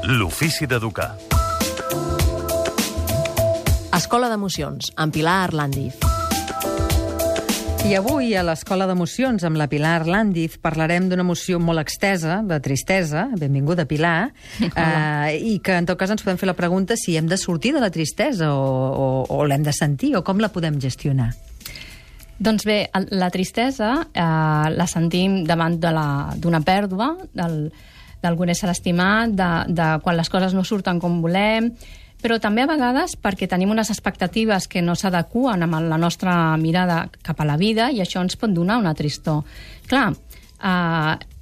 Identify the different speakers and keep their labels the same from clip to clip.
Speaker 1: L'ofici d'educar.
Speaker 2: Escola d'Emocions, amb Pilar Arlandiz.
Speaker 3: I avui a l'Escola d'Emocions amb la Pilar Arlandiz parlarem d'una emoció molt extesa, de tristesa, benvinguda Pilar, i que en tot cas ens podem fer la pregunta si hem de sortir de la tristesa o l'hem de sentir o com la podem gestionar.
Speaker 4: Doncs bé, la tristesa la sentim davant d'una pèrdua, d'algun ésser estimat, de quan les coses no surten com volem, però també a vegades perquè tenim unes expectatives que no s'adeqüen amb la nostra mirada cap a la vida i això ens pot donar una tristor. Clar,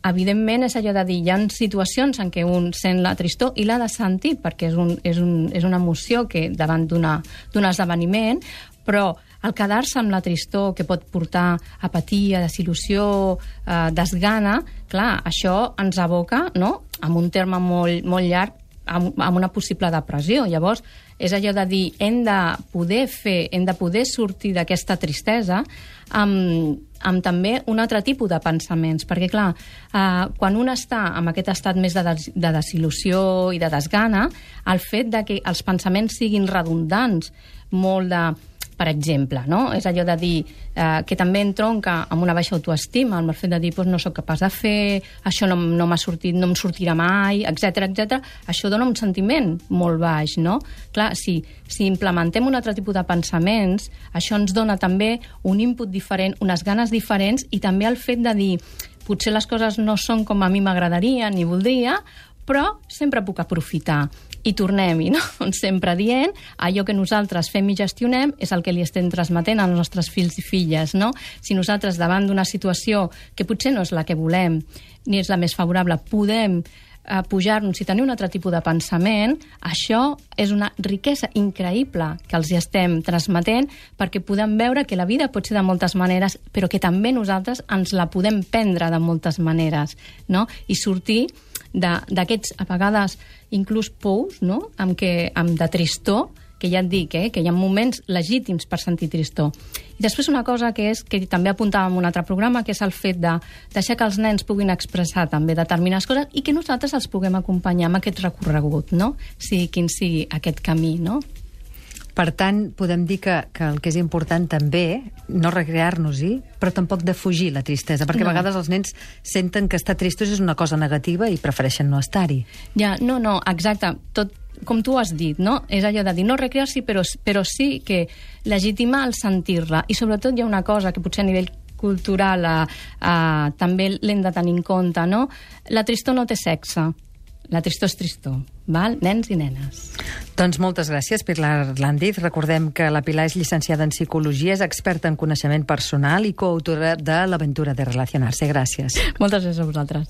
Speaker 4: evidentment és allò de dir, hi ha situacions en què un sent la tristor i l'ha de sentir perquè és una emoció que davant d'un esdeveniment, però el quedar-se amb la tristor que pot portar apatia, desil·lusió, desgana, clar, això ens aboca, no?, amb un terme molt, molt llarg, amb una possible depressió. Llavors, és allò de dir, hem de poder sortir d'aquesta tristesa amb també un altre tipus de pensaments, perquè clar, quan un està en aquest estat més de desil·lusió i de desgana, el fet de que els pensaments siguin redundants, molt de... Per exemple, no? És allò de dir que també entronca amb una baixa autoestima, amb el fet de dir no soc capaç de fer, això no m'ha sortit, no em sortirà mai, etc. Això dona un sentiment molt baix, no? Clar, si implementem un altre tipus de pensaments, això ens dona també un input diferent, unes ganes diferents i també el fet de dir potser les coses no són com a mi m'agradaria ni voldria, però sempre puc aprofitar. I tornem-hi, no? Sempre dient allò que nosaltres fem i gestionem és el que li estem transmetent als nostres fills i filles, no? Si nosaltres, davant d'una situació que potser no és la que volem ni és la més favorable, podem pujar-nos i tenir un altre tipus de pensament, això és una riquesa increïble que els hi estem transmetent perquè podem veure que la vida pot ser de moltes maneres, però que també nosaltres ens la podem prendre de moltes maneres, no? I sortir d'aquests, a vegades, inclús pous, no?, de tristor, que ja et dic, que hi ha moments legítims per sentir tristor. I després una cosa que també apuntàvem en un altre programa, que és el fet de deixar que els nens puguin expressar també determinades coses i que nosaltres els puguem acompanyar amb aquest recorregut, no?, sigui quin sigui aquest camí, no?
Speaker 3: Per tant, podem dir que el que és important també, no recrear-nos-hi, però tampoc de fugir la tristesa, perquè a vegades els nens senten que estar tristos és una cosa negativa i prefereixen no estar-hi.
Speaker 4: Ja, no, exacte, tot com tu has dit, no? És allò de dir no recrear-s'hi, però sí que legitimar el sentir-la. I sobretot hi ha una cosa que potser a nivell cultural també l'hem de tenir en compte, no? La tristor no té sexe. La tristor és tristor, val? Nens i nenes.
Speaker 3: Doncs moltes gràcies, Pilar Arlandiz. Recordem que la Pilar és llicenciada en Psicologia, és experta en coneixement personal i coautora de l'Aventura de Relacionar-se. Gràcies.
Speaker 4: Moltes gràcies a vosaltres.